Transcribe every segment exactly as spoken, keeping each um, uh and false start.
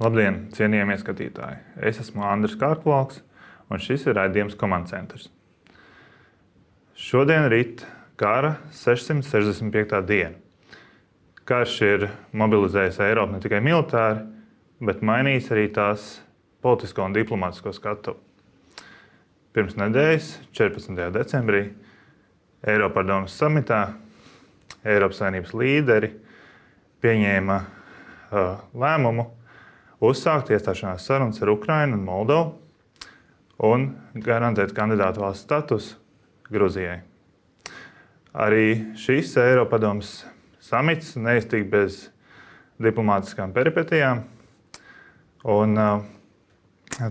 Labdien, cienījamie skatītāji! Es esmu Andris Kārkvalks, un šis ir raidījums Command Centers. Šodien rit kara sešsimt sešdesmit piektā diena. Karš ir mobilizējis Eiropu ne tikai militāri, bet mainījis arī tās politisko un diplomātisko skatuvi. Pirms nedēļas, četrpadsmitajā decembrī, Eiropadomes samitā Eiropas Savienības līderi pieņēma uh, lēmumu uzsākt iestāšanās sarunas ar Ukrainu un Moldovu un garantēt kandidātu valsts statusu Gruzijai. Arī šis Eiropadomes samits neiztika bez diplomātiskām peripetijām, un uh,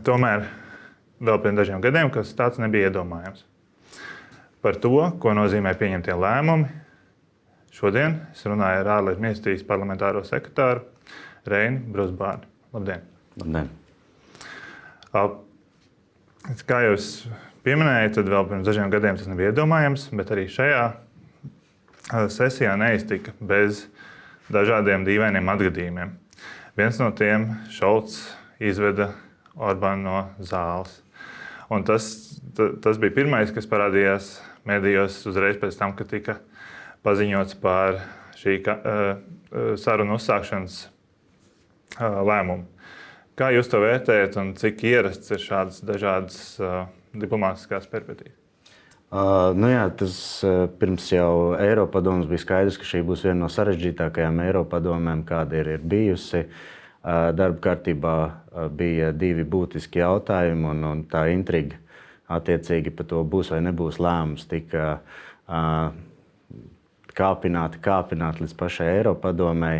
tomēr vēl pirms dažiem gadiem, kas tāds nebija iedomājams. Par to, ko nozīmē pieņemtie lēmumi, šodien es runāju ar ārlietu ministrijas parlamentāro sekretāru Reini Brusbārni. Labdien! Labdien! Kā jūs pieminējāt, tad vēl pirms dažiem gadiem tas nebija iedomājams, bet arī šajā sesijā neiztika bez dažādiem dīvainiem atgadījumiem. Viens no tiem Šolts izveda Orbānu no zāles. Un tas, tas bija pirmais, kas parādījās medijos uzreiz pēc tam, kad tika paziņots par šī sarunu uzsākšanas lēmumu. Kā jūs to vērtējat un cik ierasts ir šādas dažādas diplomātiskās peripetijas? Uh, nu jā, tas uh, pirms jau Eiropadomes bija skaidrs, ka šī būs viena no sarežģītākajām Eiropadomēm, kāda ir, ir bijusi. Uh, darba kārtībā uh, bija divi būtiski jautājumi, un, un tā intriga attiecīgi par to būs vai nebūs lēmums tika uh, kāpināti, kāpināti līdz pašai Eiropadomei.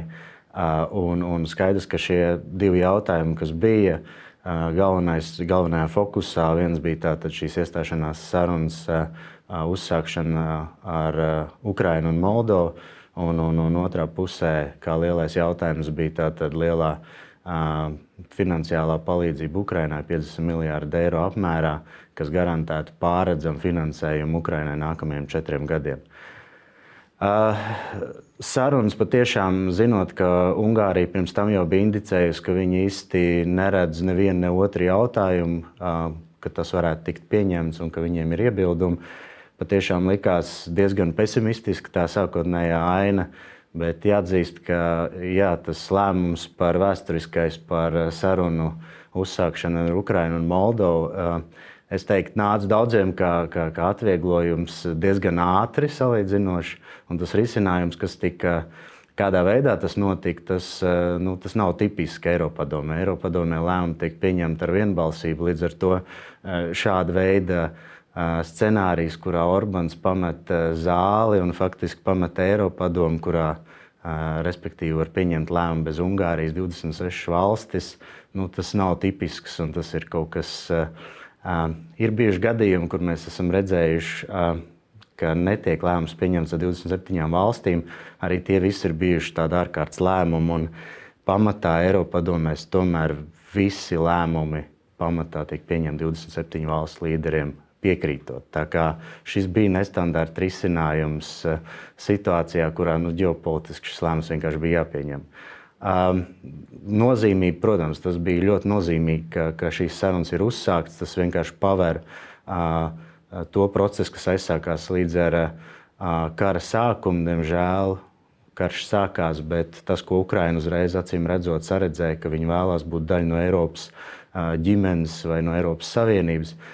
Uh, un, un skaidrs, ka šie divi jautājumi, kas bija uh, galvenais, galvenajā fokusā, viens bija tātad šīs iestāšanās sarunas uh, uzsākšana ar uh, Ukrainu un Moldovu, un, un, un otrā pusē, kā lielais jautājums, bija tātad lielā uh, finansiālā palīdzība Ukrainai piecdesmit miljārdu eiro apmērā, kas garantētu pārredzamu finansējumu Ukrainai nākamajiem četriem gadiem. Uh, sarunas patiešām, zinot, ka Ungārija pirms tam jau bija indicējusi, ka viņi īsti neredz nevienu ne otru jautājumu, uh, ka tas varētu tikt pieņemts un ka viņiem ir iebildumi, patiešām likās diezgan pesimistiski tā sākotnējā aina, bet jāatzīst, ka jā, tas lēmums par vēsturiskais par sarunu uzsākšanu ar Ukrainu un Moldovu, uh, es teiktu, nāca daudziem kā, kā, kā atvieglojums diezgan ātri salīdzinoši, un tas risinājums, kas tika, kādā veidā tas notika, tas, nu, tas nav tipiski Eiropadomē. Eiropadomē lēmumi tiek pieņemti ar vienbalsību, līdz ar to šāda veida scenārijs, kurā Orbāns pamet zāli un faktiski pamet Eiropadomu, kurā respektīvi var pieņemt lēmumu bez Ungārijas divdesmit sešas valstis, nu, tas nav tipisks un tas ir kaut kas. Uh, ir bijuši gadījumi, kur mēs esam redzējuši, uh, ka netiek lēmums pieņemts ar divdesmit septiņām valstīm. Arī tie visi ir bijuši tādi ārkārtas lēmumi, un pamatā Eiropadomēs tomēr visi lēmumi pamatā tiek pieņemti divdesmit septiņu valstu līderiem piekrītot. Tā kā šis bija nestandarta risinājums uh, situācijā, kurā nu, ģeopolitiski šis lēmums vienkārši bija jāpieņem. Uh, nozīmīgi, protams, tas bija ļoti nozīmīgi, ka, ka šīs sarunas ir uzsāktas. Tas vienkārši paver uh, to procesu, kas aizsākās līdz ar uh, kara sākumu. Diemžēl karš sākās, bet tas, ko Ukraina uzreiz acīm redzot saredzēja, ka viņi vēlās būt daļa no Eiropas uh, ģimenes vai no Eiropas Savienības. Uh,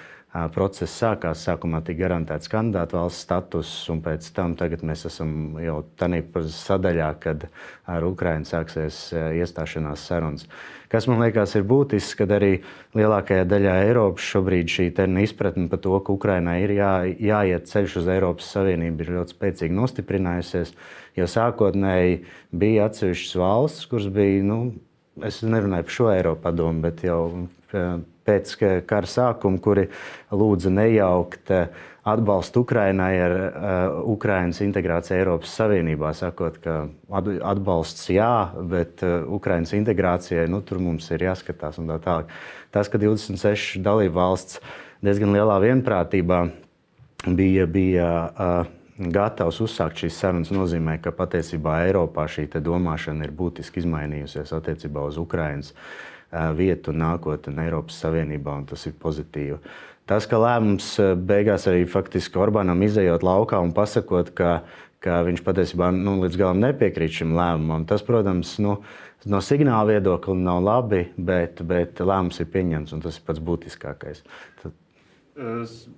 process sākās, sākumā tika garantēts kandidātu valsts status, un pēc tam tagad mēs esam jau tādā sadaļā, kad ar Ukrainu sāksies uh, iestāšanās sarunas. Kas man liekas ir būtisks, kad arī lielākajā daļā Eiropas šobrīd šī izpratne par to, ka Ukrainai ir jā, jāiet ceļš uz Eiropas Savienību, ir ļoti spēcīgi nostiprinājusies, jo sākotnēji bija atsevišķas valsts, kuras bija, nu, es nerunāju par šo Eiropadomu, bet jau pēc kara sākuma, kuri lūdza nejaukt atbalstu Ukrainai ar uh, Ukrainas integrāciju Eiropas Savienībā, sakot, ka atbalsts jā, bet uh, Ukrainas integrācijai, nu, tur mums ir jāskatās un tā tālāk. Tas, ka divdesmit sešas dalību valsts diezgan lielā vienprātībā bija, bija uh, gatavs uzsākt šīs sarunas, nozīmē, ka patiesībā Eiropā šī te domāšana ir būtiski izmainījusies attiecībā uz Ukrainas vietu un nākotni Eiropas Savienībā, un tas ir pozitīvi. Tas, ka lēmums beigās arī faktiski Orbānam izejot laukā un pasakot, ka, ka viņš patiesībā nu, līdz galam nepiekrīt šim lēmumam, tas, protams, nu, no signāla viedokļa nav labi, bet, bet lēmums ir pieņemts, un tas ir pats būtiskākais. Tad...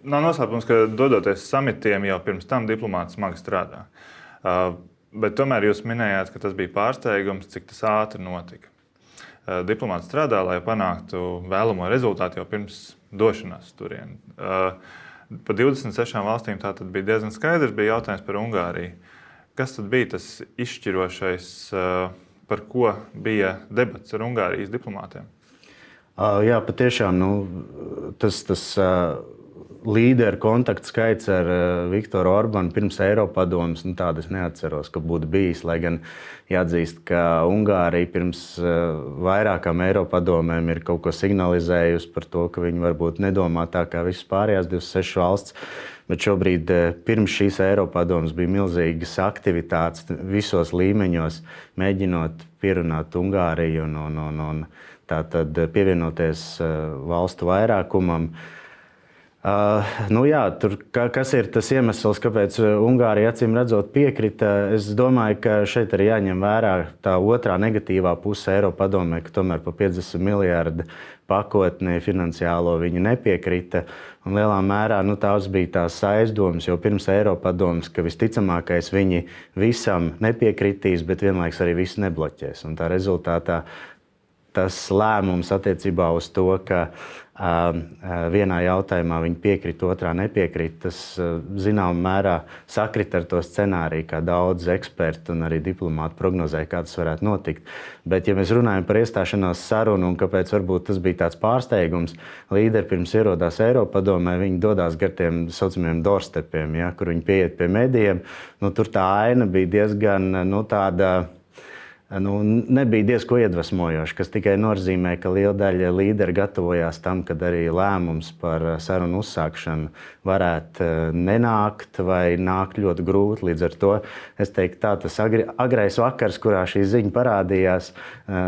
Nav noslēpums, ka dodoties samitiem jau pirms tam diplomāti smagi strādā. Bet tomēr jūs minējāt, ka tas bija pārsteigums, cik tas ātri notika. Diplomāti strādā, lai panāktu vēlamo rezultātu jau pirms došanās turien. Pa divdesmit sešām valstīm tā tad bija diezgan skaidrs, bija jautājums par Ungāriju. Kas tad bija tas izšķirošais, par ko bija debats ar Ungārijas diplomātiem? Jā, patiešām, nu, tas, tas līderu kontaktu skaits ar Viktoru Orbānu pirms Eiropadomes, nu, tādu es neatceros, ka būtu bijis, lai gan jāatzīst, ka Ungārija pirms vairākām Eiropadomēm ir kaut ko signalizējusi par to, ka viņi varbūt nedomā tā kā visas pārējās divdesmit sešas valsts, bet šobrīd pirms šīs Eiropadomes bija milzīgas aktivitātes visos līmeņos, mēģinot pierunāt Ungāriju un, un, un, un tātad pievienoties valstu vairākumam. Uh, nu jā, tur, ka, kas ir tas iemesls, kāpēc Ungārija acīm redzot piekrita? Es domāju, ka šeit arī jāņem vērā tā otrā negatīvā puse Eiropadomē, ka tomēr pa piecdesmit miljārdu pakotni finansiālo viņi nepiekrita. Un lielā mērā nu, tās bija tās aizdomas, jo pirms Eiropadomes, ka visticamākais viņi visam nepiekritīs, bet vienlaiks arī visu nebloķēs. Un tā rezultātā tas lēmums attiecībā uz to, ka uh, vienā jautājumā viņi piekrīt, otrā nepiekrīt, tas uh, zināmā mērā sakrit ar to scenāriju, kā daudz eksperti un arī diplomāti prognozēja, kā tas varētu notikt. Bet, ja mēs runājam par iestāšanās sarunu un kāpēc varbūt tas bija tāds pārsteigums, līderi pirms ierodās Eiropadomē, viņi dodās gar tiem saucamiem doorstepiem, ja, kur viņi pieiet pie medijiem. Nu, tur tā aina bija diezgan nu, tāda. Nu, nebija diezko iedvesmojoši, kas tikai nozīmē, ka liela daļa līderi gatavojās tam, kad arī lēmums par sarunu uzsākšanu varētu nenākt vai nākt ļoti grūti. Līdz ar to es teiktu, tā tas agri, agrais vakars, kurā šī ziņa parādījās,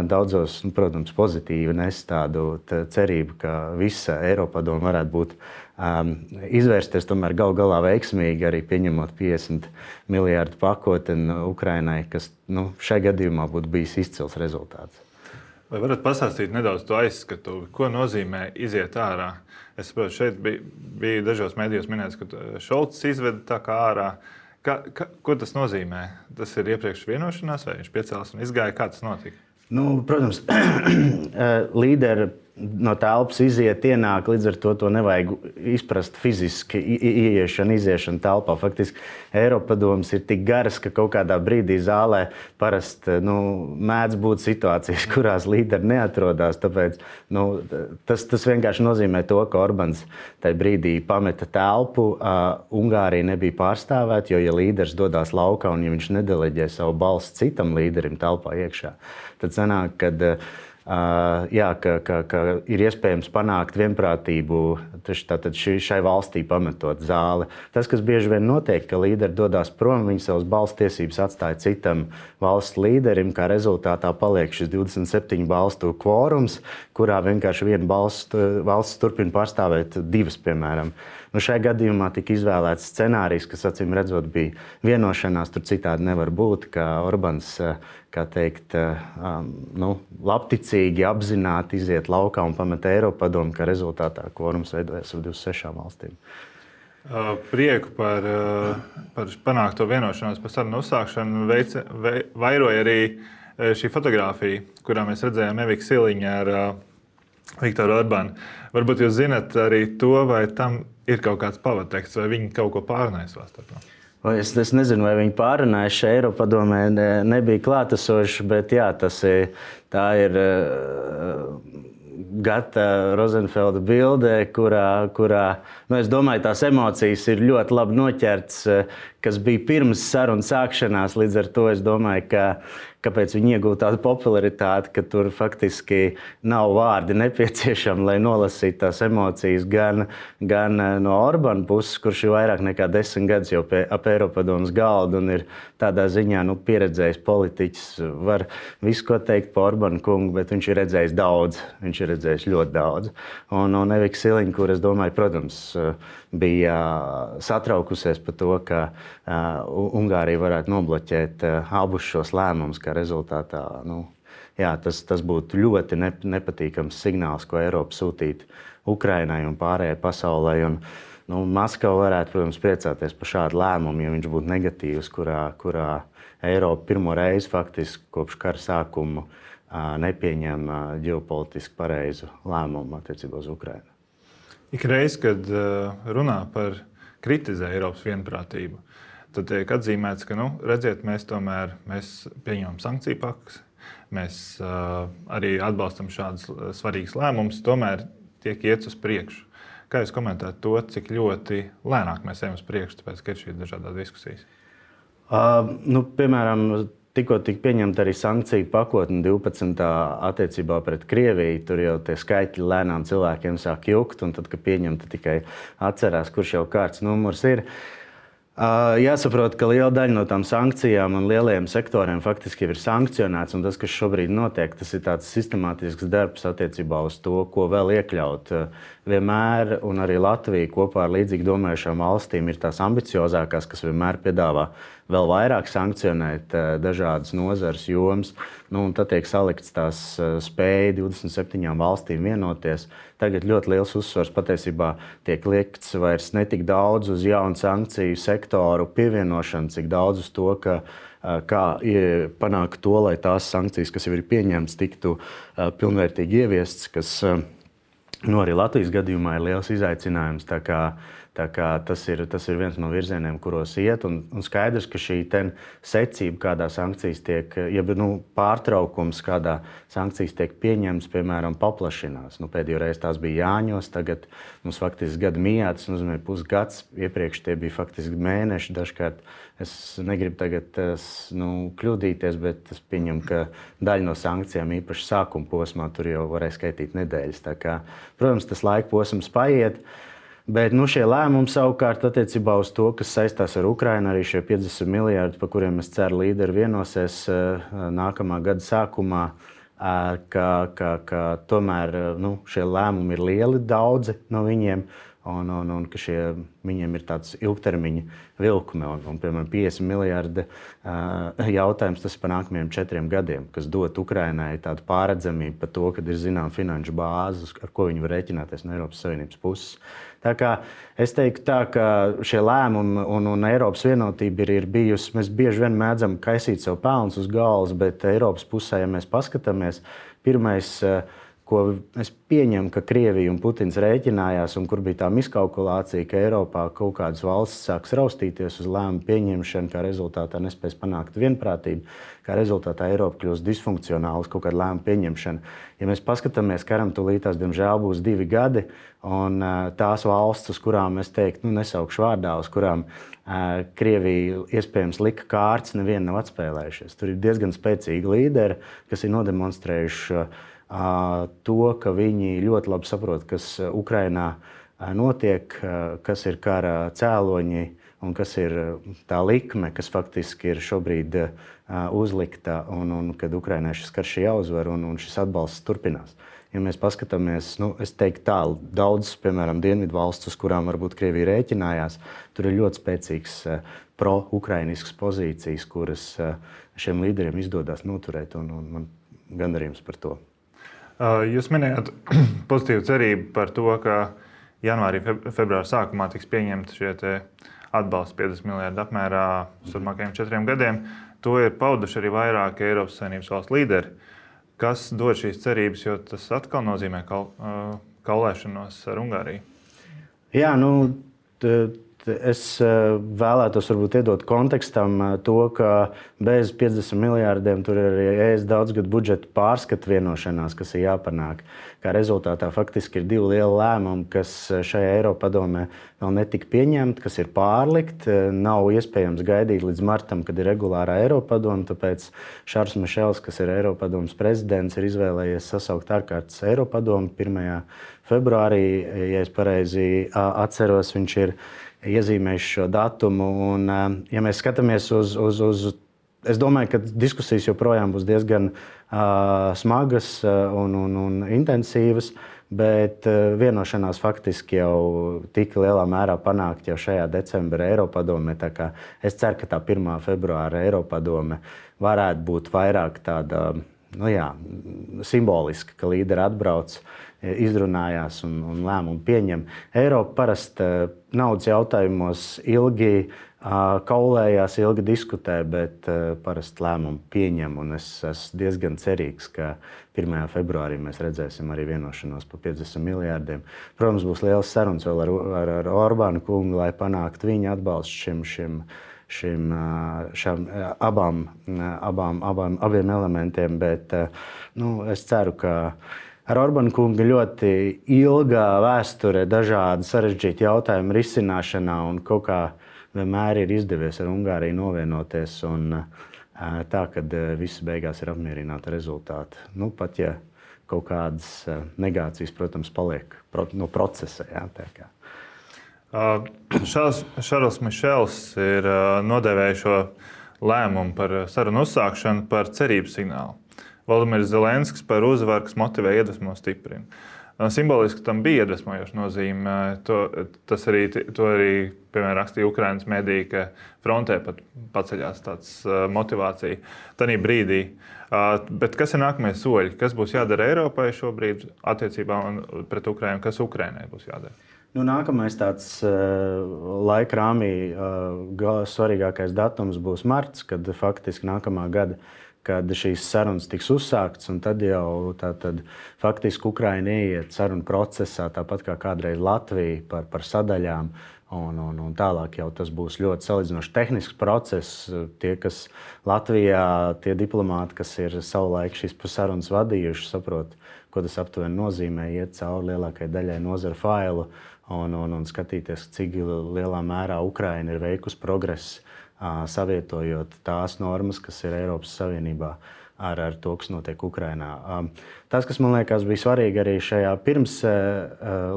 daudzos, protams, pozitīvi nes tādu cerību, ka visa Eiropadome varētu būt Um, izvērsties tomēr gal galā veiksmīgi, arī pieņemot piecdesmit miljārdu pakotni Ukrainai, kas nu, šai gadījumā būtu bijis izcils rezultāts. Vai varat pastāstīt nedaudz to aizskatu, ko nozīmē iziet ārā? Es saprotu, šeit bija, bija dažos medijos minēts, ka Šolts izveda tā kā ārā. Ka, ka, ko tas nozīmē? Tas ir iepriekš vienošanās, vai viņš piecēlās un izgāja? Kā tas notika? Nu, protams, līderi no telpas iziet, ienāk, līdz ar to to nevajag izprast fiziski ieiešanu, iziešanu telpā. Faktiski Eiropadomes ir tik garas, ka kaut kādā brīdī zālē parasti nu, mēdz būt situācijas, kurās līderi neatrodās. Tāpēc nu, tas, tas vienkārši nozīmē to, ka Orbāns tajā brīdī pameta telpu. Uh, Ungārija nebija pārstāvēta, jo ja līderis dodās laukā un ja viņš nedeleģē savu balsi citam līderim telpā iekšā, tad sanāk, kad Uh, jā, ka, ka, ka ir iespējams panākt vienprātību tātad šai valstī pametot zāli. Tas, kas bieži vien notiek, ka līderi dodās prom, viņi savas balss tiesības atstāja citam valsts līderim, kā rezultātā paliek šis divdesmit septiņu balstu kvorums, kurā vienkārši viena balsts, valsts turpina pārstāvēt divas, piemēram. Nu, šajā gadījumā tika izvēlēts scenārijs, kas acīm redzot bija vienošanās, tur citādi nevar būt, ka Orbāns, kā teikt, nu, labticīgi apzināti iziet laukā un pamet Eiropadomu, ka rezultātā kvorums veidojas ar divdesmit sešām valstīm. Prieku par, par panākto vienošanos par sarunu uzsākšanu veica, vei, vairoja arī šī fotogrāfija, kurā mēs redzējām Eviku Siliņu ar Viktoru Orbānu. Varbūt jūs zinat arī to, vai tam ir kaut kāds pavateksts, vai viņi kaut ko pārunāja savā starpā? Es, es nezinu, vai viņi pārunāja šeit Eiropadomē, ne, nebija klātesoši, bet jā, tas ir, tā ir uh, Gata Rozenfelda bilde, kurā, kurā nu, es domāju, tās emocijas ir ļoti labi noķerts, kas bija pirms sarunu sākšanās. Līdz ar to es domāju, ka kāpēc viņi iegūta tādu popularitāti, ka tur faktiski nav vārdi nepieciešami, lai nolasītu tās emocijas gan, gan no Orbāna puses, kurš ir vairāk nekā desmit gadus jau pie, ap Eiropadomes galda un ir tādā ziņā nu, pieredzējis politiķis. Var visu ko teikt par Orbāna kungu, bet viņš ir redzējis daudz. Viņš ir redzējis ļoti daudz. Un, un Evika Siliņa, kur es domāju, protams, bija satraukusies par to, ka uh, Ungārija varētu nobloķēt uh, abus šos lēmumus, kā rezultātā nu, jā, tas, tas būtu ļoti ne, nepatīkams signāls, ko Eiropa sūtītu Ukrainai un pārējai pasaulē. Un, nu, Maskava varētu, protams, priecāties par šādu lēmumu, ja viņš būtu negatīvs, kurā, kurā Eiropa pirmo reizi faktiski kopš kara sākuma uh, nepieņem uh, ģeopolitiski pareizu lēmumu attiecībā uz Ukrainu. Ik reiz, kad runā par kritizē Eiropas vienprātību, tad tiek atzīmēts, ka, nu, redziet, mēs tomēr mēs pieņemam sankciju pakas, mēs uh, arī atbalstam šādus svarīgus lēmumus, tomēr tiek iets uz priekšu. Kā jūs komentētu to, cik ļoti lēnāk mēs ejam uz priekšu, tāpēc, ka ir šīs dažādas diskusijas? Uh, nu, piemēram, tikko tika pieņemta arī sankciju pakotne divpadsmitā attiecībā pret Krieviju. Tur jau tie skaitļi lēnām cilvēkiem sāk jukt, un tad, kad pieņemta, tikai atcerās, kurš jau kārts numurs ir. Jāsaprot, ka liela daļa no tām sankcijām un lielajiem sektoriem faktiski ir sankcionēts, un tas, kas šobrīd notiek, tas ir tāds sistemātisks darbs attiecībā uz to, ko vēl iekļaut. Vienmēr, un arī Latvija kopā ar līdzīgi domājušām valstīm ir tās ambiciozākās, kas vienmēr piedāvā vēl vairāk sankcionēt dažādas nozares jomas. Nu, un tad tiek salikts tās spēja divdesmit septiņām valstīm vienoties. Tagad ļoti liels uzsvars patiesībā tiek liekts vairs ne tik daudz uz jaunu sankciju sektoru pievienošanu, cik daudz uz to, ka kā panākt to, lai tās sankcijas, kas jau ir pieņemtas, tiktu pilnvērtīgi ieviestas, kas nu, arī Latvijas gadījumā ir liels izaicinājums. Tā kā, tā kā tas, ir, tas ir viens no virzieniem, kuros iet. Un, un skaidrs, ka šī secība, kādā sankcijas tiek, ja nu, pārtraukums, kādā sankcijas tiek pieņemts, piemēram, paplašinās. Nu, pēdējo reizi tās bija Jāņos, tagad mums faktiski gada mijā, tas nozīmē pusgads. Iepriekš tie bija faktiski mēneši. Dažkārt es negribu tagad nu, kļūdīties, bet es pieņemu, ka daļa no sankcijām īpaši sākuma posmā tur jau varēja skaitīt nedēļas. Tā kā, protams, tas laika posms paiet. Bet nu, šie lēmumi savukārt attiecībā uz to, kas saistās ar Ukrainu, arī šie piecdesmit miljardi, par kuriem es ceru līderi vienosies nākamā gada sākumā, ka, ka, ka tomēr nu, šie lēmumi ir lieli, daudzi no viņiem, un, un, un ka šie, viņiem ir tāds ilgtermiņa vilkme. Un, un, piemēram, piecdesmit miljardi jautājums tas par nākamajiem četriem gadiem, kas dot Ukrainai tādu pārredzamību par to, kad ir zinām finanšu bāzes, ar ko viņi var rēķināties no Eiropas Savienības puses. Tā kā es teiktu tā, ka šie lēmumi un, un Eiropas vienotība ir, ir bijusi, mēs bieži vien mēdzam kaisīt sev pelnus uz galvas, bet Eiropas pusē, ja mēs paskatāmies, pirmais, ko es pieņemu, ka Krievija un Putins rēķinājās un kur bija tā miskalkulācija, ka Eiropā kaut kādas valstis sāks raustīties uz lēmumu pieņemšanu, kā rezultātā nespēs panākt vienprātību, kā rezultātā Eiropa kļūst disfunkcionāla uz kaut kādu lēmumu pieņemšanu. Ja mēs paskatāmies, karam tūlītās, diemžēl, būs divi gadi, un tās valsts, uz kurām es teiktu, nu, nesaukšu vārdā, uz kurām uh, Krievija iespējams lika kārtas, neviena nav atspēlējušies. Tur ir diezgan spēcīgi līderi, kas ir nodemonstrējuši uh, to, ka viņi ļoti labi saprot, kas Ukrainā notiek, kas ir kara cēloņi un kas ir tā likme, kas faktiski ir šobrīd uzlikta un, un kad Ukrainai šis karš ir jāuzvar un, un šis atbalsts turpinās. Ja mēs paskatāmies, nu, es teiktu tā, daudz, piemēram, dienvidu valsts, uz kurām varbūt Krievija rēķinājās, tur ir ļoti spēcīgs pro-ukrainisks pozīcijas, kuras šiem līderiem izdodas noturēt, un, un man gandarījums par to. Jūs minējāt pozitīvu cerību par to, ka janvārī, februāra sākumā tiks pieņemti šie atbalsts piecdesmit miljardi apmērā uz turpmākajiem četriem gadiem. To ir pauduši arī vairāki Eiropas Savienības valstu līderi. Kas dod šīs cerības, jo tas atkal nozīmē kal, kaulēšanos ar Ungāriju? Jā, nu, t, es vēlētos varbūt iedot kontekstam to, ka bez piecdesmit miljārdiem tur ir arī E S daudzgadu budžeta pārskatu vienošanās, kas ir jāpanāk. Kā rezultātā faktiski ir divi lieli lēmumi, kas šajā Eiropadomē vēl netika pieņemti, kas ir pārlikt. Nav iespējams gaidīt līdz martam, kad ir regulārā Eiropadome, tāpēc Šarls Mišels, kas ir Eiropadomes prezidents, ir izvēlējies sasaukt ārkārtas Eiropadomi pirmajā februārī, ja es pareizi atceros, viņš ir iezīmējis šo datumu. Un, ja mēs skatāmies uz, uz, uz Es domāju, ka diskusijas joprojām būs diezgan uh, smagas un, un, un intensīvas, bet uh, vienošanās faktiski jau tika lielā mērā panākt jau šajā decembra Eiropadomē. Tā kā es ceru, ka tā pirmā februāra Eiropadome varētu būt vairāk tāda, nu jā, simboliska, ka līderi atbrauc, izrunājās un, un lēmumu pieņem. Eiropa parasti naudas jautājumos ilgi kaulējās, ilgi diskutē, bet parasti lēmumu pieņem. Un es esmu diezgan cerīgs, ka pirmajā februārī mēs redzēsim arī vienošanos par piecdesmit miljārdiem. Protams, būs liels sarunas vēl ar, ar, ar Orbānu kungu, lai panāktu viņa atbalstu šim, šim, šim, šam, abām, abām, abām, abiem elementiem. Bet nu, es ceru, ka ar Orbānu kungu ļoti ilgā vēsture dažādi sarežģīti jautājumu risināšanā un kaut kā vienmēr ir izdevies ar Ungāriju novienoties un tā, ka visi beigās ir apmierināti rezultāti. Nu, pat ja kaut kādas negācijas, protams, paliek no procesa. Jā, tā kā. Šarls, Šarls Mišels ir nodēvējis šo lēmumu par sarunu uzsākšanu par cerības signālu. Valdimirs Zelenskis par uzvaru, kas motivē, iedvesmo, stiprina. Simboliski tam bija iedvesmojoša nozīme. To, tas arī, to arī piemēram, rakstīja Ukrainas mediji, ka frontē pat paceļās tāds motivācija tanī brīdī. Bet kas ir nākamie soļi? Kas būs jādara Eiropai šobrīd attiecībā pret Ukrainu? Kas Ukrainai būs jādara? Nu, nākamais tāds uh, laika rāmī uh, svarīgākais datums būs marts, kad faktiski nākamā gada kad šīs sarunas tiks uzsāktas, un tad jau tā, tad, faktiski Ukraina ieiet sarunu procesā, tāpat kā kādreiz Latvija par, par sadaļām, un, un, un tālāk jau tas būs ļoti salīdzinoši tehnisks process. Tie, kas Latvijā, tie diplomāti, kas ir savulaik šīs sarunas vadījuši, saprot, ko tas aptuveni nozīmē, iet cauri lielākajai daļai nozara failu un, un, un skatīties, cik lielā mērā Ukraina ir veikusi progresu, savietojot tās normas, kas ir Eiropas Savienībā ar, ar to, kas notiek Ukrainā. Tas, kas man liekas bija svarīgi arī šajā pirms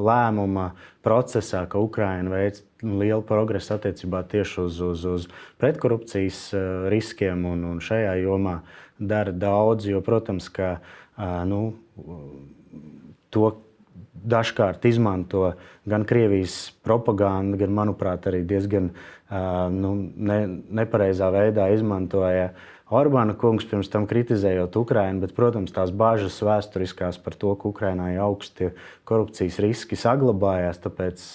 lēmuma procesā, ka Ukraina veic lielu progresu attiecībā tieši uz, uz, uz pretkorupcijas riskiem un, un šajā jomā dara daudz, jo, protams, ka nu, to dažkārt izmanto gan Krievijas propaganda, gan, manuprāt, arī diezgan nu, ne, nepareizā veidā izmantoja Orbāna kungs, pirms tam kritizējot Ukrainu, bet, protams, tās bāžas vēsturiskās par to, ka Ukrainā ir augsti korupcijas riski saglabājās, tāpēc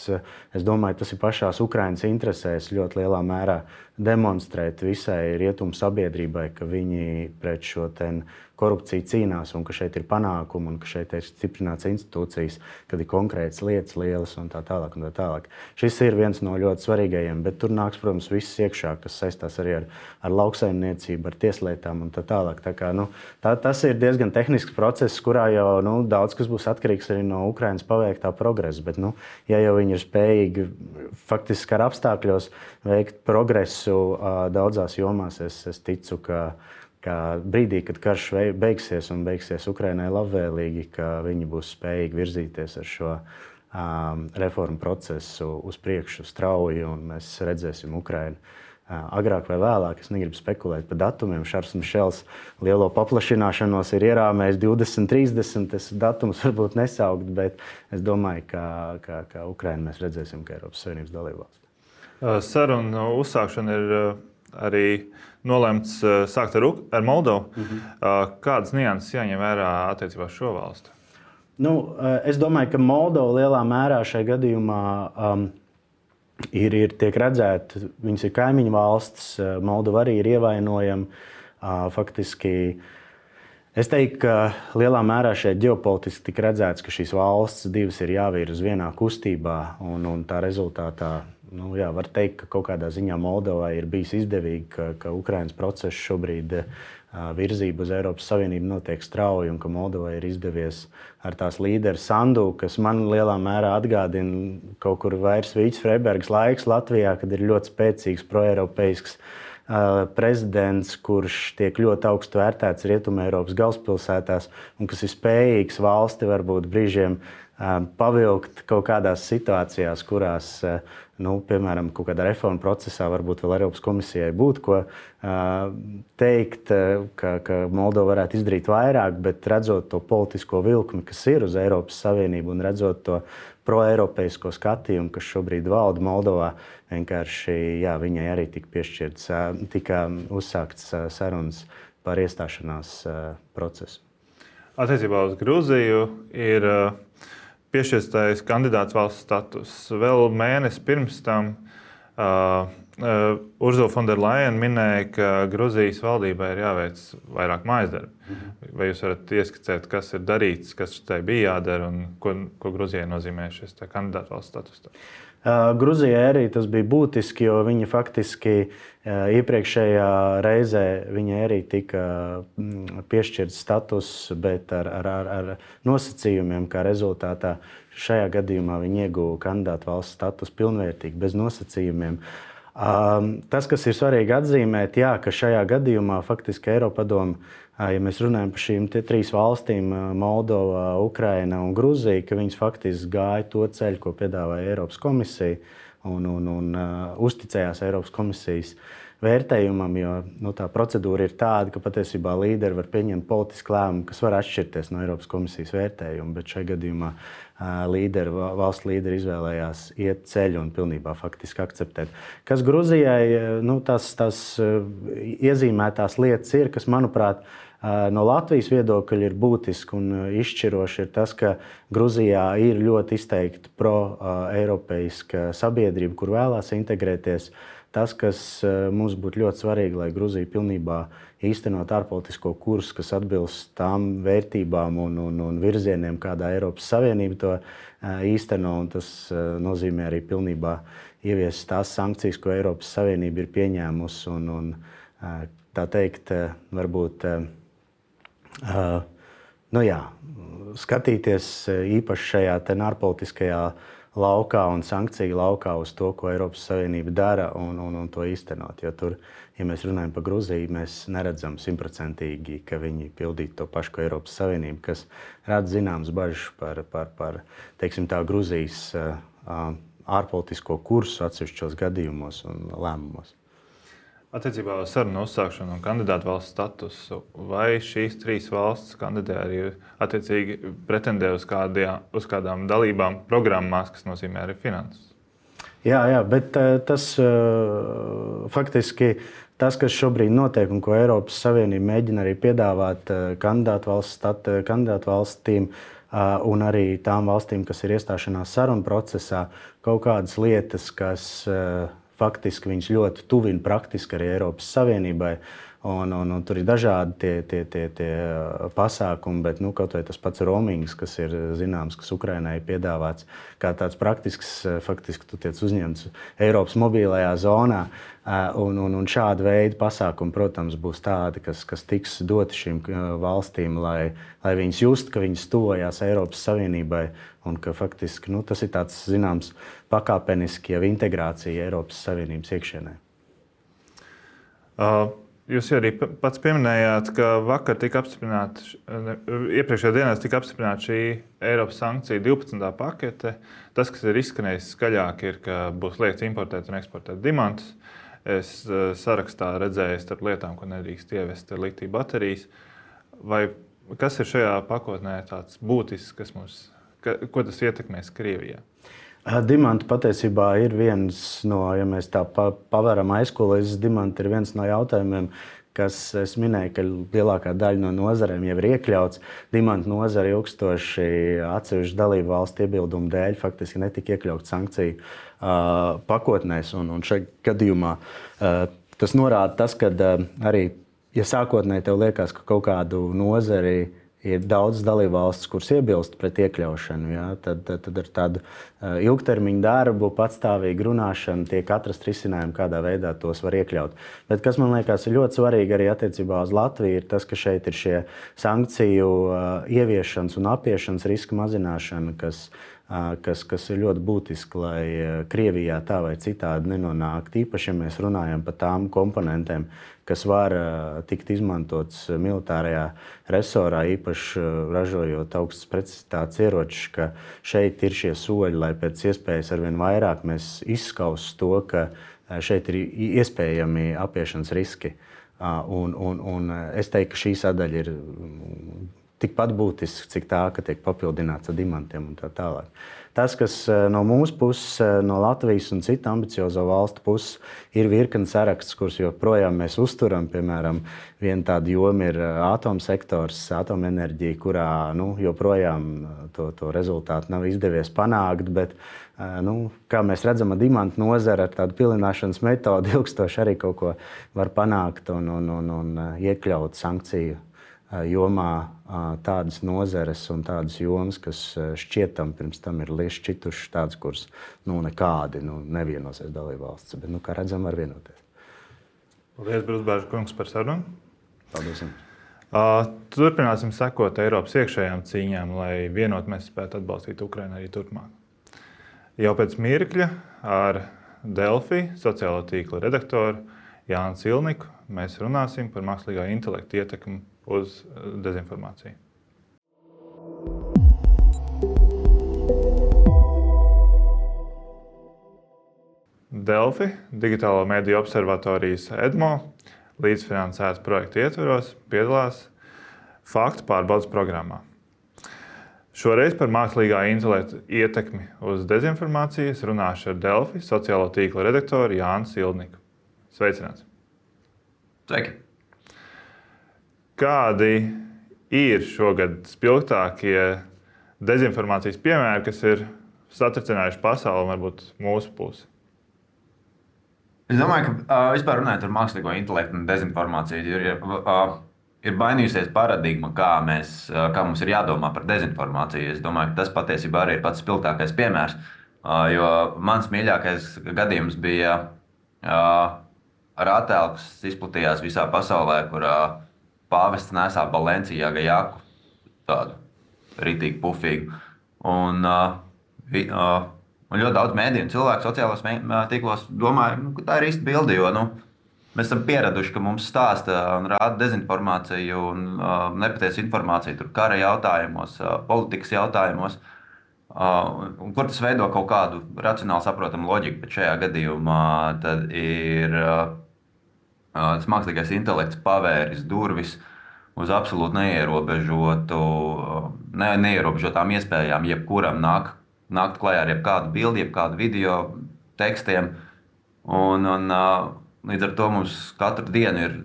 es domāju, tas ir pašās Ukrainas interesēs ļoti lielā mērā demonstrēt visai rietumu sabiedrībai, ka viņi pret šo ten korupciju cīnās un ka šeit ir panākumi un ka šeit ir stiprināts institūcijas, kad ir konkrētas lietas lielas un tā tālāk un tā tālāk. Šis ir viens no ļoti svarīgajiem, bet tur nāks, protams, viss iekšā, kas saistās arī ar, ar lauksaimniecību, ar tieslietām un tā tālāk. Tā kā, nu, tā, tas ir diezgan tehnisks process, kurā jau nu, daudz kas būs atkarīgs arī no Ukrainas paveiktā progresa, bet, nu, ja jau viņi ir spējīgi faktiski ar apstākļos veikt progresu daudzās jomās, es, es ticu, ka ka brīdī, kad karš beigsies un beigsies Ukrainai labvēlīgi, ka viņi būs spējīgi virzīties ar šo um, reformu procesu uz priekšu strauji, un mēs redzēsim Ukrainu uh, agrāk vai vēlāk. Es negribu spekulēt par datumiem. Šarls Mišels lielo paplašināšanos ir ierāmējis divdesmit trīsdesmit. Es datums varbūt nesaukt, bet es domāju, ka, ka, ka Ukrainu mēs redzēsim, ka Eiropas Savienības dalībvalsts. Sarunu uzsākšana ir arī nolēmts sākt ar, ar Moldovu. Mm-hmm. Kādas nianses jāņem vērā attiecībā uz šo valstu? Nu, es domāju, ka Moldova lielā mērā šajā gadījumā um, ir, ir tiek redzēta, viņas ir kaimiņu valsts, Moldova arī ir ievainojama. Uh, faktiski, es teiktu, ka lielā mērā šeit ģeopolitiski tika redzēts, ka šīs valsts divas ir jāvirza vienā kustībā, un, un tā rezultātā nu, jā, var teikt, ka kaut kādā ziņā Moldovai ir bijis izdevīgi, ka, ka Ukrainas process šobrīd virzība uz Eiropas Savienību notiek strauji un ka Moldovai ir izdevies ar tās līderi Sandu, kas man lielā mērā atgādina kaut kur vairs Vīķis Freibergs laiks Latvijā, kad ir ļoti spēcīgs proeiropeisks prezidents, kurš tiek ļoti augstu vērtēts Rietumeiropas galvaspilsētās un kas ir spējīgs valsti varbūt brīžiem pavilkt kaut kādās situācijās, kurās, nu, piemēram, kaut kādā reforma procesā varbūt vēl Eiropas komisijai būtu ko teikt, ka, ka Moldova varētu izdarīt vairāk, bet redzot to politisko vilkmi, kas ir uz Eiropas Savienību un redzot to proeiropeisko skatījumu, kas šobrīd valda Moldovā, vienkārši, jā, viņai arī tika piešķirts, tika uzsākts sarunas par iestāšanās procesu. Attiecībā uz Gruziju ir piešķirtais kandidāts valsts status. Vēl mēnesi pirms tam uh, uh, Ursula von der Leyen minēja, ka Gruzijas valdībai ir jāveic vairāk mājasdarbi. Mm-hmm. Vai jūs varat ieskicēt, kas ir darīts, kas tai bija jādara un ko, ko Gruzijai nozīmē šis kandidātu valsts status? Uh, Gruzijai arī tas bija būtiski, jo viņa faktiski uh, iepriekšējā reizē viņai arī tika mm, piešķirts status, bet ar, ar, ar, ar nosacījumiem, kā rezultātā šajā gadījumā viņa ieguva kandidātu valsts status pilnvērtīgi, bez nosacījumiem. Uh, tas, kas ir svarīgi atzīmēt, jā, ka šajā gadījumā faktiski Eiropadome, ja mēs runājam par šīm trīs valstīm, Moldova, Ukraina un Gruzija, ka viņas faktiski gāja to ceļu, ko piedāvāja Eiropas komisija un, un, un uh, uzticējās Eiropas komisijas vērtējumam, jo nu, tā procedūra ir tāda, ka patiesībā līderi var pieņemt politisku lēmumu, kas var atšķirties no Eiropas komisijas vērtējuma, bet šajā gadījumā uh, līderi, valsts līderi izvēlējās iet ceļu un pilnībā faktiski akceptēt. Kas Gruzijai, nu, tās, tās uh, iezīmētās lietas ir, kas, manuprāt, no Latvijas viedokļa ir būtiski un izšķiroši ir tas, ka Gruzijā ir ļoti izteikti pro-eiropeiska sabiedrība, kur vēlās integrēties. Tas, kas mums būtu ļoti svarīgi, lai Gruzija pilnībā īstenot ārpolitisko kursu, kas atbilst tām vērtībām un, un, un virzieniem, kādā Eiropas Savienība to īsteno, un tas nozīmē arī pilnībā ieviest tās sankcijas, ko Eiropas Savienība ir pieņēmusi un, un tā teikt, varbūt Uh, nu jā, skatīties īpaši šajā ārpolitiskajā laukā un sankciju laukā uz to, ko Eiropas Savienība dara un, un, un to īstenot. Jo tur, ja mēs runājam par Gruziju, mēs neredzam simtprocentīgi, ka viņi pildītu to pašu, ko Eiropas Savienība, kas rada zināmas bažas par, par, par teiksim tā, Gruzijas uh, ārpolitisko kursu atsevišķos gadījumos un lēmumos. Attiecībā uz sarunu uzsākšanu un kandidātu valsts statusu, vai šīs trīs valstis kandidē arī attiecīgi pretendē uz, kādā, uz kādām dalībām programmās, kas nozīmē arī finanses? Jā, jā, bet tas faktiski tas, kas šobrīd notiek un ko Eiropas Savienība mēģina arī piedāvāt kandidātu valsts stat, kandidātu valstīm un arī tām valstīm, kas ir iestāšanās sarunu procesā, kaut kādas lietas, kas faktiski viņas ļoti tuvina praktiski arī Eiropas Savienībai. Un, un, un tur ir dažādi tie, tie, tie, tie pasākumi, bet nu, kaut vai tas pats roamings, kas ir zināms, kas Ukrainai ir piedāvāts, kā tāds praktisks, faktiski tu tiec uzņemts Eiropas mobilajā zonā. Un, un, un šāda veida pasākumi, protams, būs tādi, kas, kas tiks doti šīm valstīm, lai, lai viņas just, ka viņas tuvojās Eiropas Savienībai un ka faktiski nu, tas ir tāds, zināms, pakāpeniski jau integrācija Eiropas Savienības iekšienē. Uh. Jūs arī pats pieminējāt, ka vakar tika apstiprināta, iepriekšējā dienā tika apstiprināta šī Eiropas sankcija divpadsmitā pakete. Tas, kas ir izskanējis skaļāk, ir, ka būs liegts importēt un eksportēt diamantus. Es sarakstā redzēju starp lietām, ko nedrīkst ievest litija baterijas. Vai kas ir šajā pakotnē tāds būtisks, kas mums, ka, ko tas ietekmēs Krievijā? Dimanti patiesībā ir viens no, ja mēs tā paveram aizkulisēs, dimanti ir viens no jautājumiem, kas es minēju, ka lielākā daļa no nozarēm jau ir iekļauts. Dimantu nozare ilgstoši atsevišķu dalību valstu iebildumu dēļ faktiski netika iekļauts sankciju uh, pakotnēs. Un, un šajā gadījumā uh, tas norāda tas, ka uh, arī, ja sākotnēji tev liekas, ka kaut kādu nozari ir daudz dalībvalstis, kuras iebilst pret iekļaušanu. Ja? Tad, tad, tad ar tādu ilgtermiņu darbu, patstāvīgu runāšanu tiek atrast risinājumi, kādā veidā tos var iekļaut. Bet kas man liekas ir ļoti svarīgi arī attiecībā uz Latviju, ir tas, ka šeit ir šie sankciju ieviešanas un apiešanas riska mazināšana, kas Kas, kas ir ļoti būtiski, lai Krievijā tā vai citādi nenonāktu. Īpaši, ja mēs runājam par tām komponentēm, kas var tikt izmantotas militārajā resorā, īpaši ražojot augstas precizitātes ieročus, ka šeit ir šie soļi, lai pēc iespējas arvien vairāk mēs izskaustu to, ka šeit ir iespējami apiešanas riski. Un, un, un es teiktu, ka šī sadaļa ir tikpat būtisks, cik tā, ka tiek papildināts ar dimantiem un tā tālāk. Tas, kas no mūsu puses, no Latvijas un citu ambiciozo valstu puses, ir virkne saraksts, kurus joprojām mēs uzturam. Piemēram, viena tāda joma ir atomsektors, atomenerģija, kurā nu, joprojām to, to rezultātu nav izdevies panākt, bet nu, kā mēs redzam, ar dimantu nozari ar tādu pilināšanas metodi ilgstoši arī kaut ko var panākt un, un, un, un iekļaut sankciju jomā tādas nozares un tādas jomas, kas šķietam pirms tam ir lieši šķitušas tādas, kuras nu, nekādi nu, nevienosies dalībvalsts, bet, nu, kā redzam, var vienoties. Paldies, Brūsbērža kungs, par sarunu. Paldies. Uh, turpināsim sekot Eiropas iekšējām cīņām, lai vienot mēs spētu atbalstīt Ukrainu arī turpmāk. Jau pēc mirkļa ar Delfi sociālo tīkla redaktoru Jānu Cilniku mēs runāsim par mākslīgā intelekta ietekmi uz dezinformāciju. Delfi, Digitālo mediju observatorijas EDMO, līdzfinansētas projekta ietvaros piedalās faktu pārbaudes programmā. Šoreiz par mākslīgā intelekta ietekmi uz dezinformāciju runāšu ar Delfi sociālo tīkla redaktoru Jānu Cilniku. Sveicināts! Sveiki! Kādi ir šogad spilgtākie dezinformācijas piemēri, kas ir satricinājuši pasauli un varbūt mūsu pusi? Es domāju, ka uh, vispār runājot par mākslīgo intelektu un dezinformāciju, ir, uh, ir mainījusies paradigma, kā, mēs, uh, kā mums ir jādomā par dezinformāciju. Es domāju, ka tas patiesībā arī ir pats spilgtākais piemērs, uh, jo mans mīļākais gadījums bija uh, ar attēlu, kas izplatījās visā pasaulē, kur uh, pāvests nesā Balenciaga jaku, tādu ritīgi pufīgu. Un, uh, vi, uh, un ļoti daudz mēdīju un cilvēku sociālos tīklos domāja, nu, ka tā ir īsta bilde, jo nu, mēs esam pieraduši, ka mums stāsta un rāda dezinformāciju un uh, nepatiesu informāciju tur kara jautājumos, uh, politikas jautājumos, uh, un kur tas veido kaut kādu racionāli saprotamu loģiku, bet šajā gadījumā tad ir uh, tas mākslīgais intelekts pavēris durvis uz absolūti neierobežotu, ne, neierobežotām iespējām, jebkuram nāk, nākt klajā ar jebkādu bildi, jebkādu video, tekstiem. Un, un, līdz ar to mums katru dienu ir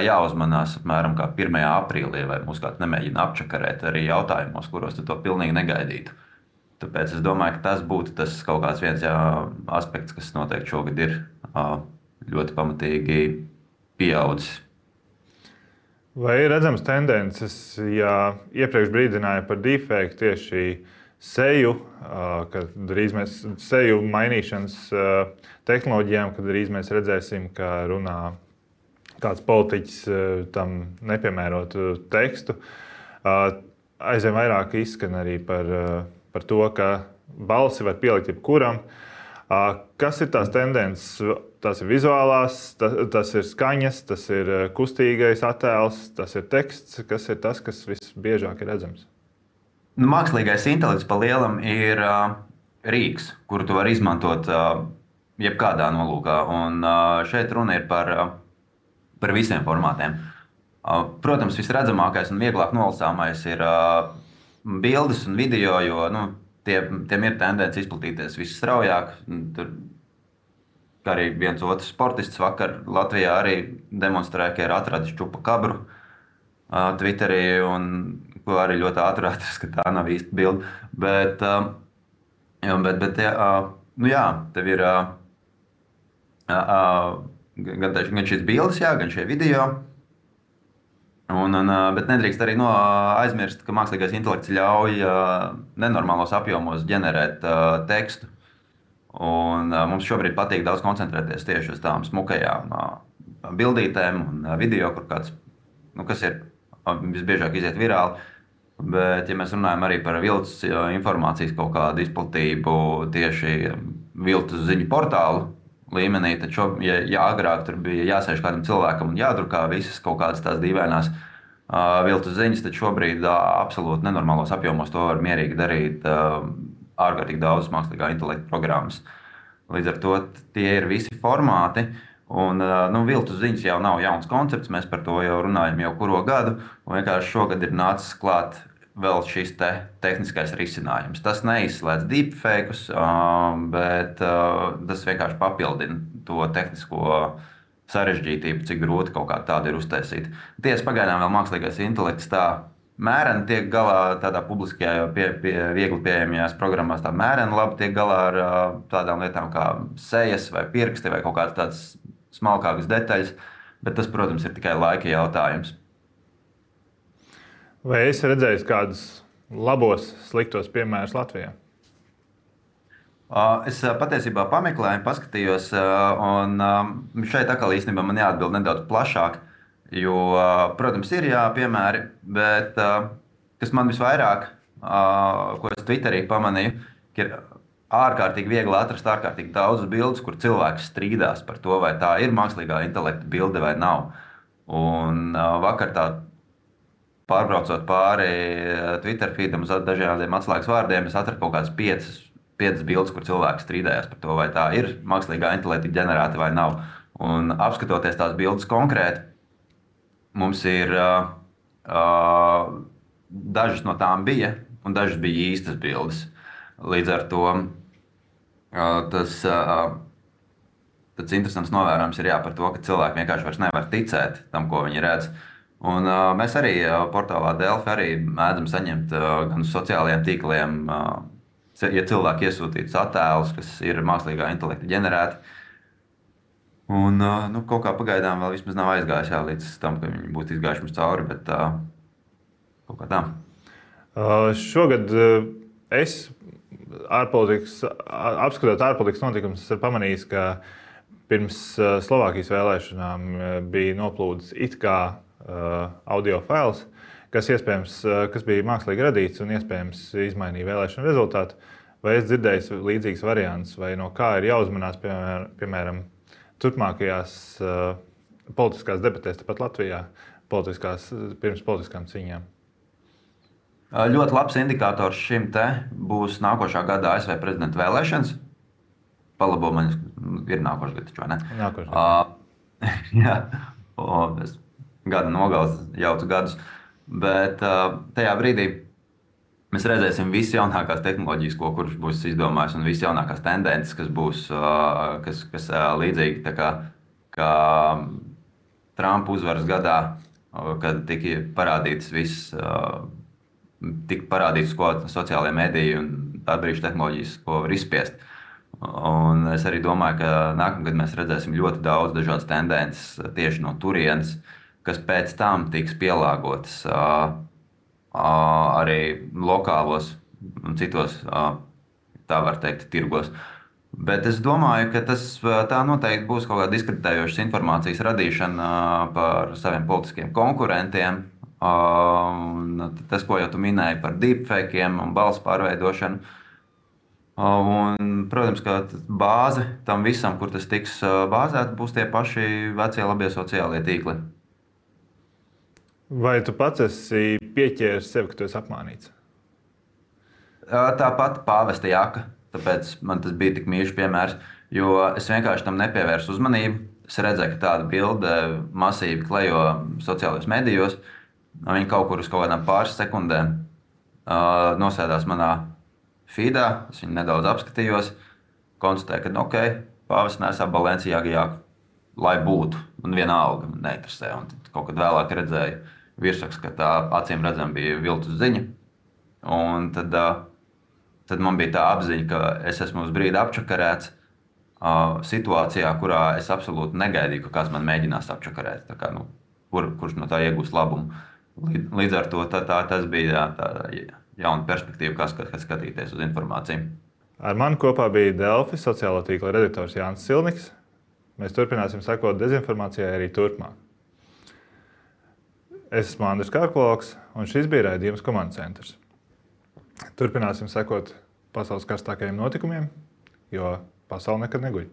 jāuzmanās apmēram kā pirmajā aprīlī, vai mūs kāds nemēģina apčakarēt arī jautājumos, kuros tu to pilnīgi negaidītu. Tāpēc es domāju, ka tas būtu tas kaut kāds viens jā, aspekts, kas noteikti šogad ir ļoti pamatīgi pieaudzis. Vai ir redzams tendences, ja iepriekš brīdināja par deepfake tieši seju, kad drīz mēs seju mainīšanas tehnoloģijām, kad drīz mēs redzēsim, ka runā kāds politiķis tam nepiemērotu tekstu. Aizvien vairāk izskan arī par, par to, ka balsi var pielikt jebkuram. Kas ir tās tendences? Tas ir vizuālās, tas, tas ir skaņas, tas ir kustīgais attēls, tas ir teksts. Kas ir tas, kas visbiežāk ir redzams? Nu, mākslīgais intelekts pa lielam ir uh, rīks, kuru tu vari izmantot uh, jebkādā nolūkā. Un uh, šeit runa ir par, uh, par visiem formātiem. Uh, protams, visredzamākais un vieglāk nolasāmais ir uh, bildes un video, jo nu, tie, tiem ir tendence izplatīties visstraujāk. Tur, kā arī viens otrs sportists vakar Latvijā arī demonstrēja, ka ir atradis čupakabru uh, Twitterī, un ko arī ļoti ātri atrast, ka tā nav īsta bilde. Bet, uh, bet, bet uh, nu jā, tev ir uh, uh, gan, gan šīs bildes, jā, gan šie video. Un, un, bet nedrīkst arī no, aizmirst, ka mākslīgais intelekts ļauj nenormālos apjomos ģenerēt tekstu. Un, mums šobrīd patīk daudz koncentrēties tieši uz tām smukajām bildītēm un video, kur kāds, nu, kas ir visbiežāk iziet virāli. Bet, ja mēs runājam arī par viltus informācijas kaut kādu izplatību tieši viltus ziņu portālu līmenī, tad, šo, ja, ja agrāk tur bija jāsēž kādam cilvēkam un jādrukā visas kaut kādas tās dīvainās uh, viltus ziņas, tad šobrīd uh, absolūti nenormālos apjomos to var mierīgi darīt uh, ārkārtīgi daudz mākslīgā intelekta programmas. Līdz ar to tie ir visi formāti. Un, uh, nu, viltus ziņas jau nav jauns koncepts, mēs par to jau runājam jau kuro gadu. Un vienkārši šogad ir nācis klāt vēl šis te tehniskais risinājums. Tas neizslēdz deepfake'us, bet tas vienkārši papildina to tehnisko sarežģītību, cik grūti kaut kā tādu ir uztaisīt. Tiesa pagaidām vēl mākslīgais intelekts tā mēreni tiek galā tādā publiskajā, pie, pie, viegli pieejamajās programmās, tā mēreni labi tiek galā ar tādām lietām kā sejas vai pirksti vai kaut kādas tādas smalkākas detaļas, bet tas, protams, ir tikai laika jautājums. Vai esi redzējis kādus labos, sliktos piemērus Latvijā? Es patiesībā pameklēju, paskatījos, un šeit atkal īstenībā man jāatbild nedaudz plašāk, jo, protams, ir jā, piemēri, bet kas man visvairāk, ko es Twitterī pamanīju, ka ir ārkārtīgi viegli atrast ārkārtīgi daudz bildes, kur cilvēks strīdās par to, vai tā ir mākslīgā intelekta bilde vai nav. Un vakar tā pārbraucot pāri Twitter feedam uz dažādiem atslēgas vārdiem, es atradu kaut kādas piecas, piecas bildes, kur cilvēks strīdējās par to, vai tā ir mākslīgā intelekta ģenerēta vai nav. Un apskatoties tās bildes konkrēti, mums ir uh, uh, dažas no tām bija, un dažas bija īstas bildes. Līdz ar to uh, tas, uh, tas interesants novērojums ir jā, par to, ka cilvēki vienkārši vairs nevar ticēt tam, ko viņi redz. Un, uh, mēs arī uh, portālā Delfi arī mēdzam saņemt uh, gan uz sociālajiem tīkliem, uh, ja cilvēki iesūtītus attēlus, kas ir mākslīgā intelekta ģenerēti. Un uh, nu, kaut kā pagaidām vēl vismaz nav aizgājis jā, līdz tam, ka viņi būtu izgājuši mums cauri, bet uh, kaut kā tā. Uh, šogad uh, es ārpolitikas, apskatot ārpolitikas notikumus, esmu pamanījis, ka pirms uh, Slovākijas vēlēšanām uh, bija noplūdis it kā Uh, audio fails, kas, uh, kas bija mākslīgi radīts un iespējams izmainīja vēlēšanu rezultātu. Vai es dzirdēju līdzīgas variantus, vai no kā ir jāuzmanās, piemēram, piemēram turpmākajās uh, politiskās debatēs, tāpat Latvijā, politiskās, pirms politiskām cīņām? Ļoti labs indikators šim te būs nākošā gada A S V prezidenta vēlēšanas. Palabo man ir nākošais gads, vai ne? Nākošais gads. Uh, jā, o, es gada nogales jaucu gadus, bet uh, tajā brīdī mēs redzēsim visas jaunākās tehnoloģijas, ko kurš būs izdomājis, un visas jaunākās tendences, kas būs uh, kas, kas, uh, līdzīgi tā kā, kā Trumpa uzvaras gadā, uh, kad tika parādītas visas, uh, tika parādītas, ko sociālajie mediji un atbrīvošana tehnoloģijas, ko var izspiest. Un es arī domāju, ka nākamgad mēs redzēsim ļoti daudz dažādas tendences tieši no turienes, kas pēc tam tiks pielāgotas uh, uh, arī lokālos un citos, uh, tā var teikt, tirgos. Bet es domāju, ka tas tā noteikti būs kaut kāda diskreditējošas informācijas radīšana uh, par saviem politiskiem konkurentiem. Uh, un tas, ko jau tu minēji par deepfake'iem un balss pārveidošanu. Uh, un, protams, ka bāze tam visam, kur tas tiks bāzēts, būs tie paši vecie labie sociālie tīkli. Vai tu pats esi pieķēries sev, ka tu esi apmānīts? Tāpat pāvesta jaka, tāpēc man tas bija tik mīļš piemērs, jo es vienkārši tam nepievērsu uzmanību. Es redzēju, ka tāda bilde masīvi klejo sociālajos medijos, viņi kaut kur uz kaut kādām pāris sekundēm uh, nosēdās manā feedā, es viņu nedaudz apskatījos, konstatēju, ka ok, pāvests nesā Balenciaga jaku, lai būtu, un vienalga man neinteresē. Un tad kaut kad vēlāk redzēju virsrakstu, ka tā acīm redzam bija viltus ziņa. Un tad, tad man bija tā apziņa, ka es esmu uz brīdi apčakarēts uh, situācijā, kurā es absolūti negaidīju, ka kāds man mēģinās apčakarēt. Tā kā, nu, kur, kurš no tā iegūs labumu. Līdz, līdz ar to tā, tā, tas bija tā, tā jauna perspektīva, kas, kas skatīties uz informāciju. Ar mani kopā bija Delfi sociālo tīkla redaktors Jānis Silniks. Mēs turpināsim sekot dezinformācijai arī turpmāk. Es esmu Andris Kārkloks, un šis bija raidījums Komandas centrs. Turpināsim sekot pasaules karstākajiem notikumiem, jo pasaule nekad neguļ.